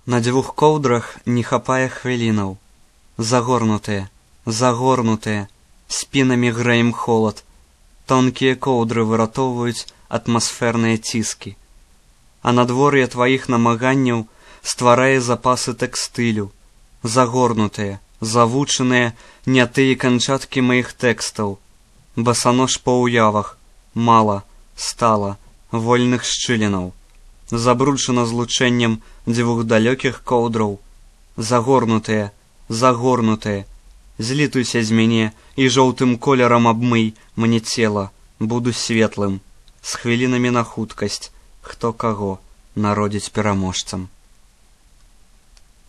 На 2 коўдрах не хапае хвілінаў. Загорнутыя, загорнутыя, спінамі грэем холад. Тонкія коўдры выратоўваюць атмасферныя ціскі. А надвор'е тваіх намаганняў стварае запасы тэкстылю. Загорнутыя, завучаныя не тыя канчаткі маіх тэкстаў. Басанож па ўявах, мала, стала, вольных шчылінаў. Забруджана злучэннем 2 далёкіх коўдраў. Загорнутыя, загорнутыя, злітуйся з мяне і жоўтым колерам абмый мне цела, буду светлым, з хвілінамі на хуткасць, хто каго народзіць пераможцам.